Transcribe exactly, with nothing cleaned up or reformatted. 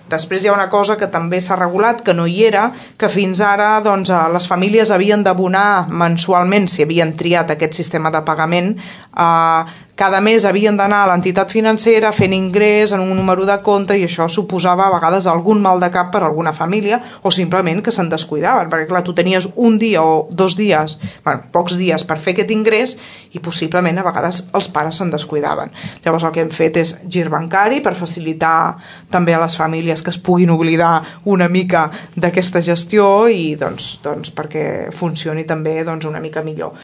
Després hi ha una cosa que també s'ha regulat, que no hi era, que fins ara doncs, les famílies havien d'abonar mensualment, si havien triat aquest sistema de pagament, eh, cada mes havien d'anar a l'entitat financera fent ingrés en un número de compte, i això suposava a vegades algun mal de cap per a alguna família, o simplement que se'n descuidaven, perquè clar, tu tenies un dia o dos dies, bueno, pocs dies per fer aquest ingrés, i possiblement a vegades els pares se'n descuidaven. Llavors el que hem fet és gir bancari per facilitar també a les famílies que es puguin oblidar una mica d'aquesta gestió i doncs, doncs perquè funcioni també doncs, una mica millor.